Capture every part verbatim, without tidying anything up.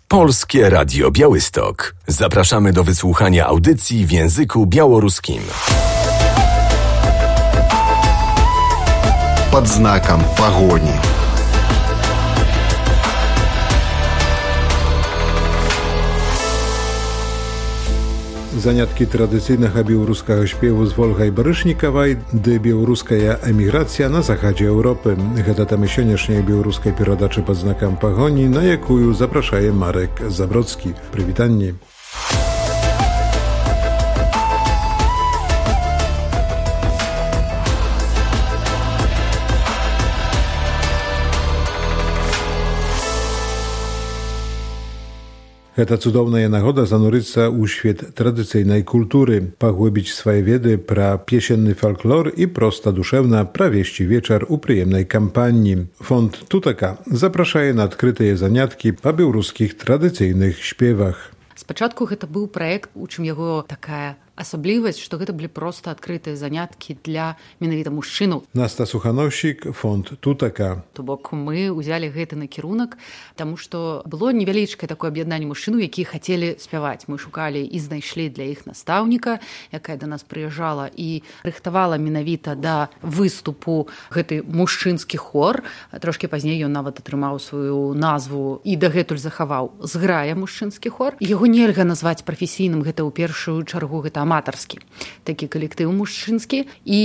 Polskie Radio Białystok. Zapraszamy do wysłuchania audycji w języku białoruskim. Pod znakiem pogoni. Заняткі традыцыйнага беларускага спеву з Вольгай Барышнікавай ды беларуская эміграцыя на захадзе Еўропы. Гэта тэма сённяшняй беларускай перадачы пад знакам пагоні, на якую запрашае Марек Забродскі. Прывітанне. Гэта цудоўная нагода занурыцца ў свет традыцыйнай культуры, паглыбіць свае веды пра песенны фальклор і проста душэўна правесці вечар у прыемнай кампаніі. Фонд Тутака запрашае на адкрытыя заняткі па беларускіх традыцыйных спевах. Спачатку гэта быў праект, у чым яго такая асаблівасць, што гэта былі проста адкрытыя заняткі для менавіта мужчынаў. Наста Сухановщик, фонд Тутака. То бок мы ўзялі гэты накірунак, таму што было невялічкае такое аб'яднанне мужчынаў, якія хацелі спяваць. Мы шукалі і знайшлі для іх настаўніка, якая да нас прыязджала і рыхтавала менавіта да выступу гэты мужчынскі хор. Трошкі пазней ён нават атрымаў сваю назву і дагэтуль захаваў «Зграя мужчынскі хор». Яго нельга назваць прафесійным, гэта ў першую чаргу гэта аматарскі такі калектыў мужчынскі, і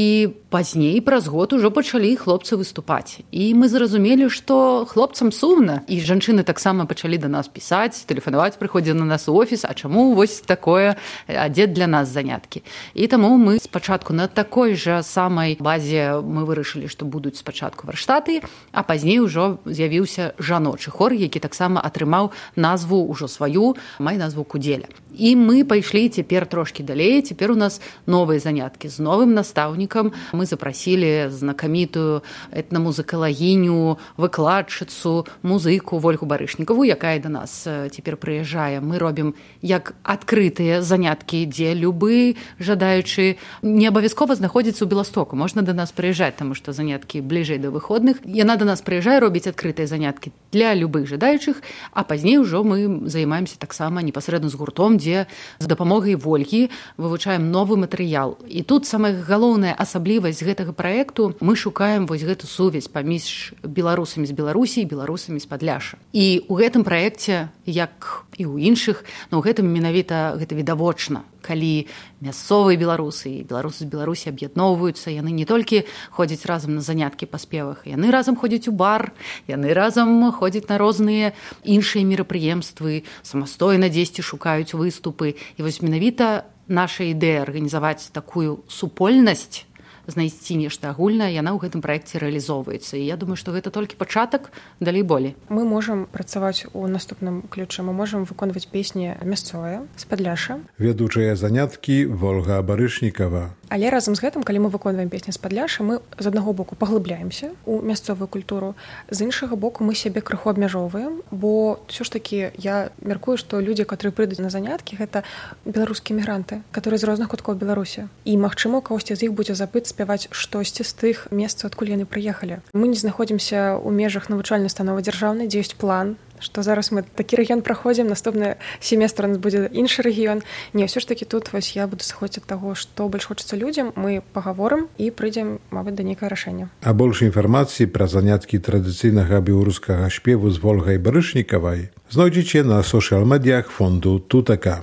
пазней праз год ужо пачалі хлопцы выступаць. І мы зразумелі, што хлопцам сумна, і жанчыны таксама пачалі да нас пісаць, тэлефанаваць, прыходзілі на нас у офіс, а чаму вось такое, а дзе для нас заняткі. І таму мы спачатку на такой жа самай базе мы вырашылі, што будуць спачатку варштаты, а пазней ужо з'явіўся жаночы хор, які таксама атрымаў назву ўжо сваю, май назву Кудзеля. І мы пайшлі цяпер трошкі далей. Цяпер у нас новыя заняткі з новым настаўнікам. Мы запрасілі знакамітую этнамузыкалагіню, выкладчыцу, музыку Вольгу Барышнікаву, якая да нас цяпер прыязджае. Мы робім як адкрытыя заняткі, дзе любы жадаючы не абавязкова знаходзіцца ў Беластоку. Можна да нас прыязджаць, таму што заняткі бліжэй да выходных. Яна да нас прыязджае робіць адкрытыя заняткі для любых жадаючых, а пазней ужо мы займаемся таксама непасрэдна з гуртом, дзе з дапамогай Вольгі вывучаем новы матэрыял. І тут самая галоўная асаблівасць гэтага праекту, мы шукаем вось гэту сувязь паміж беларусамі з Беларусі і беларусамі з Падляшша. І ў гэтым праекце, як і ў іншых, но ў гэтым менавіта гэта відавочна, калі мясцовыя беларусы і беларусы з Беларусі аб'ядноўваюцца, яны не толькі ходзяць разам на заняткі па спевах, яны разам ходзяць у бар, яны разам ходзяць на розныя іншыя мерапрыемствы, самастойна дзесьці шукаюць выступы. І вось менавіта наша ідэя арганізаваць такую супольнасць, знайсці нешта агульнае, яна ў гэтым праекце рэалізоўваецца. І я думаю, што гэта толькі пачатак, далей болей. Мы можам працаваць у наступным ключы. Мы можам выконваць песні мясцовыя з Падляшша. Вядучыя заняткі Вольга Барышнікава. Але разам з гэтым, калі мы выконваем песні з Падляшша, мы з аднаго боку паглыбляемся ў мясцовую культуру, з іншага боку мы сябе крыху абмяжоўваем, бо ўсё ж такі я мяркую, што людзі, которые прыйдуць на заняткі, гэта беларускія мігранты, которые з розных куткоў Беларусі. І магчыма, у кагосьці з іх будзе запыт спяваць штосьці з тых месцаў, адкуль яны прыехалі. Мы не знаходзімся ў межах навучальнай установы дзяржаўнай, дзе ёсць план, што зараз мы такі рэгіён праходзім, наступны семестр у нас будзе іншы рэгіён. Не, ўсё ж такі тут вось я буду сыходзіць ад таго, што больш хочацца людзям, мы пагаворым і прыйдзем, мабыць, да нейкае рашэння. А больш інфармацыі пра заняткі традыцыйнага беларускага спеву з Вольгай Барышнікавай знойдзеце на сошыял-медіях фонду Тутака.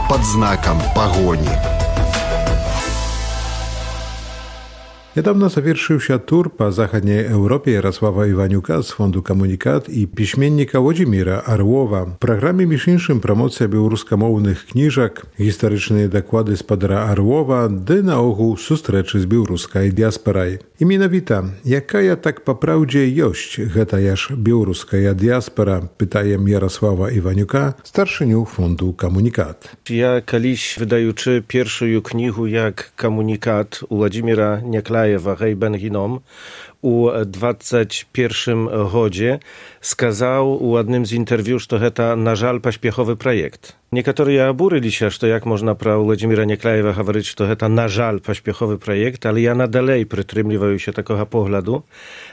Под знаком погони. Niedawno zawieszył się tur po zachodniej Europie Jarosława Iwaniuka z Fondu Komunikat i piśmiennika Włodzimira Arłowa. W programie miesięcznym promocja białoruskомовnych kniżek, historyczne dokłady z padra Arłowa, dy na ogół sustreczy z białoruskiej diasporaj. I mianowita, jaka ja tak po prawdzie jość, geta jaż białoruska diaspora, pytajem Jarosława Iwaniuka, starszyniu Fondu Komunikat. Ja kiedyś wydajuczy pierwszą knihu jak Komunikat u Włodzimira Nieklajewa Hej Ben Ginom, u dwadzieścia pierwszym гоdzie сказал у одним з інтерв'ю, што гэта, на жаль, паспяховы праект. Некаторыя абурыліся, што як можна пра Владзіміра Някляева гаварыць, што гэта, на жаль, паспяховы праект, але я надалей прытрымліваюся такога погляду.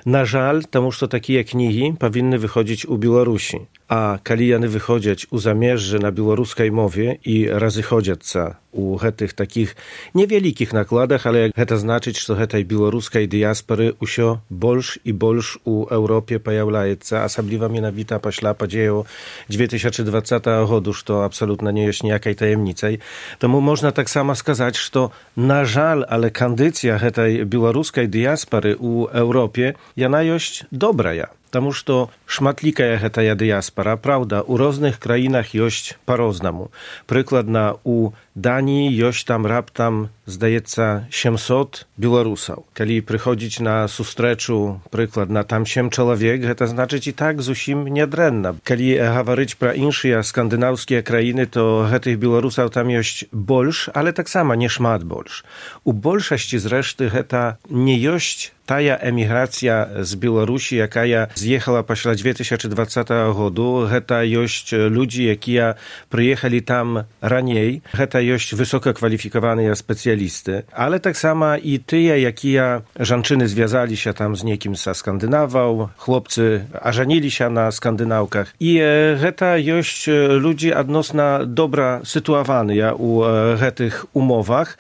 На жаль, таму што такія кнігі павінны выходзіць у Беларусі. А калі яны выходзяць у замежжы на беларускай мове і разыходзяцца у гэтых такіх невялікіх накладах, але гэта значыць, што гэтай беларускай дыяспары ўсё больш і больш у Еўропе паяўляецца, асабліва менавіта пасля падзеяў две тысячи двадцатого году, што абсалютна не ёсць ніякай таямніцай. Таму можна таксама сказаць, што, на жаль, але кандыцыя гэтай беларускай дыяспары у Еўропе, яна ёсць добрая. Таму што шматлікая гэтая дыяспара, праўда, у розных краінах ёсць па-рознаму. Прыкладна, у Даніі ёсць там раптам, здаецца, сямсот беларусаў. Калі прыходзіць на сустрэчу, прыкладна, там сем чалавек, гэта значыць і так зусім нядрэнна. Калі гаварыць пра іншыя скандынаўскія краіны, то гэтых беларусаў там ёсць больш, але таксама не шмат больш. У большасці, зрэшты, гэта не ёсць тая эміграцыя з Беларусі, якая з'ехала пасля две тысячи двадцатого году. Гэта ёсць людзі, якія прыехалі там раней. Гэта ёсць высокакваліфікаваныя спецыялісты. Але таксама і тыя, якія жанчыны звязаліся там з некім са скандынаваў, хлопцы ажаніліся на скандынаўках. І гэта ёсць людзі адносна добра сітуаваныя ў гэтых умовах.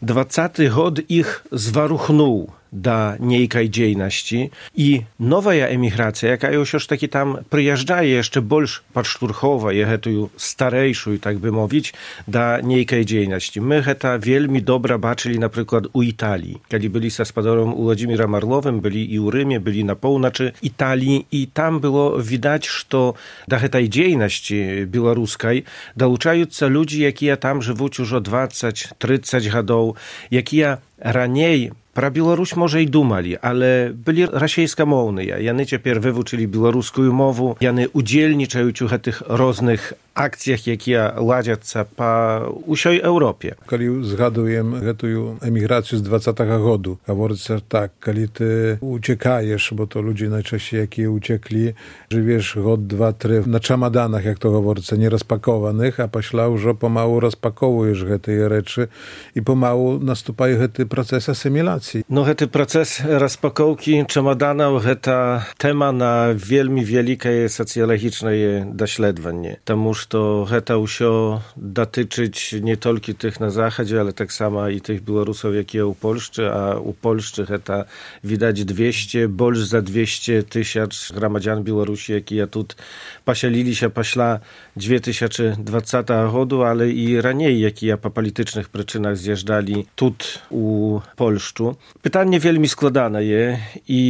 Двадцаты год іх зварухнуў да нейкай дзейнасці і новая эміграцыя, якая ўсё ж такі там прыязджае яшчэ больш падштурхоўвае гэтую старэйшую, так бы мовіць, да нейкай дзейнасці. Мы гэта вельмі добра бачылі, напрыклад, у Італіі. Калі былі са спадаром Уладзімірам Арловым, былі і ў Рыме, былі на поўначы Італіі, і там было відаць, што да гэтай дзейнасці беларускай далучаюцца людзі, якія там жывуць ужо двадцать тридцать гадоў, якія раней пра Беларусь, можа, і думалі, але былі расейскамоўныя. Яны цяпер вывучылі беларускую мову, яны удзельнічаюць у гэтых розных акцыях, якія ладзяцца па ўсёй Еўропе. Калі згадуем гэтую эміграцыю з двадцатага году, гаворыцца так, калі ты уцекаеш, бо то людзі найчасцей, якія уцеклі, жывеш год, два, тры на чамаданах, як то гаворыцца, не распакованых, а пасля ўжо памалу распакоўваеш гэтыя рэчы і памалу наступае гэты працэс асіміляцыі. No, гэты працэс распакоўкі чамаданаў, гэта тэма на вельмі вялікае сацыялагічнае даследаванне, таму што гэта ўсё датычыць не толькі тых на захадзе, але таксама і тых беларусаў, якія ў Польшчы, а ў Польшчы гэта, відаць, двесце, больш за двесце тысяч грамадзян Беларусі, якія тут пасяліліся пасля две тысячи двадцатого году, але і раней, якія па палітычных прычынах з'язджалі тут у Польшчу. Пытанне вельмі складанае і,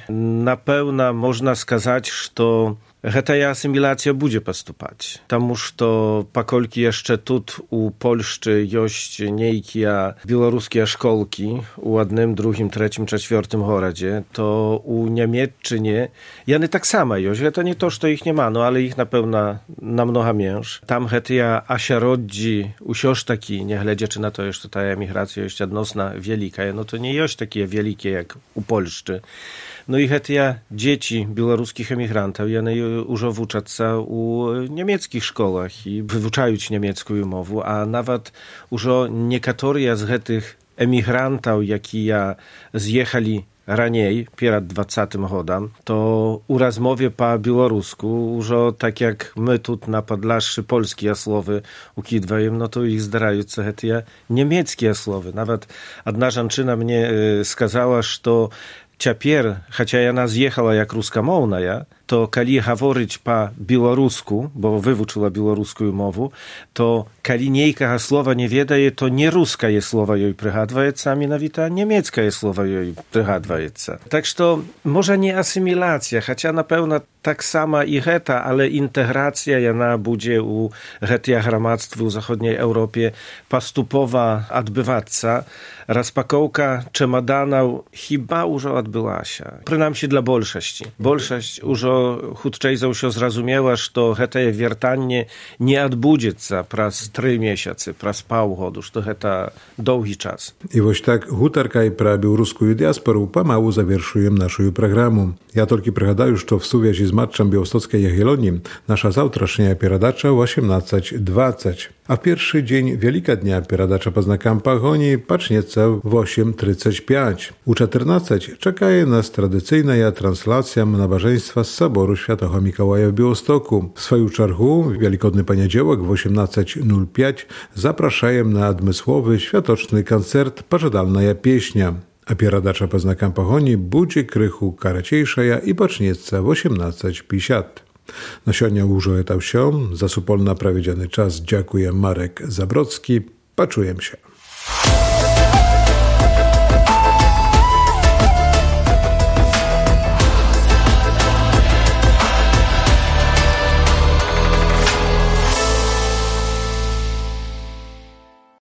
напэўна, можна сказаць, што гэтая асіміляцыя будзе паступаць, таму што паколькі яшчэ тут у Польшчы ёсць нейкія беларускія школкі у адным, другім, трэцім, чацвёртым горадзе, то у Нямецчыне яны таксама ёсць. Гэта не то, што іх няма, no ale ich напэўна намнога менш. Там гэтыя асяроддзі ўсё ж такі, нягледзячы на тое, што тая эміграцыя ёсць адносна вялікая, no to nie ёсць такія вялікія, як у Польшчы. No i гэтыя дзеці беларускіх эмігрантаў, яны ўжо вучацца ў нямецкіх школах і вывучаюць нямецкую мову, а нават ужо некаторыя з гэтых эмігрантаў, якія з'ехалі раней, перад двадцатым годам, to u rozmowie po białorusku, już tak jak my tu na Podlaszczy polskie słowy ukidwajem, no to ich zdarające te niemieckie słowy. Nawet jedna żanczyna mnie y, skazała, że ciapier, chociaż ona zjechała jak ruskомовна, ja, to kali говорить po białorusku, bo wywuczyła białoruską mowę, to kali niejka słowa nie wiedaje, to nie ruska je słowa jej przygadwajeca, a mianowita niemiecka je słowa jej przygadwajeca. Tak, że może nie asymilacja, chociaż na pewno tak sama i heta, ale integracja jana będzie u hetia gramadztwa w zachodniej Europie pastupowa odbywaca. Rozpakołka czemadanów chyba już odbyła się. Przynajmniej dla bolszości. Bolszość już to chudczej się zrozumiała, że heta je wiertanie nie odbudzica pras trzy miesiące, pras półgodu, że to heta długi czas. I właśnie tak hutarkaj pra białoruską diasporu pomału zawierszujem naszą programu. Ja tylko prigадаю, że w suwiazi z matczem Białostockiej Jagiellonii nasza zawtrasznia pieradacza osiemnaście dwadzieścia. A w pierwszy dzień Wielika Dnia pieradacza po znakam Pahoni pacznieca w osiem trzydzieści pięć. U czternaście czekaje nas tradycyjna translacja nabożeństwa z Soboru Świętego Mikołaja w Białostoku. W swoją czarchu w Wielkodny Poniedziałek w osiemnaście nul pięć zapraszają na admysłowy, światoczny koncert Pożadalna pieśnia. A pieradacza po znakam Pahoni budzi krychu karaciejsza i pacznieca w osiemnaście pięćdziesiąt. Na sionią już etał się, za supolna prawiedziany czas dziękuję Marek Zabrocki, paczujem się.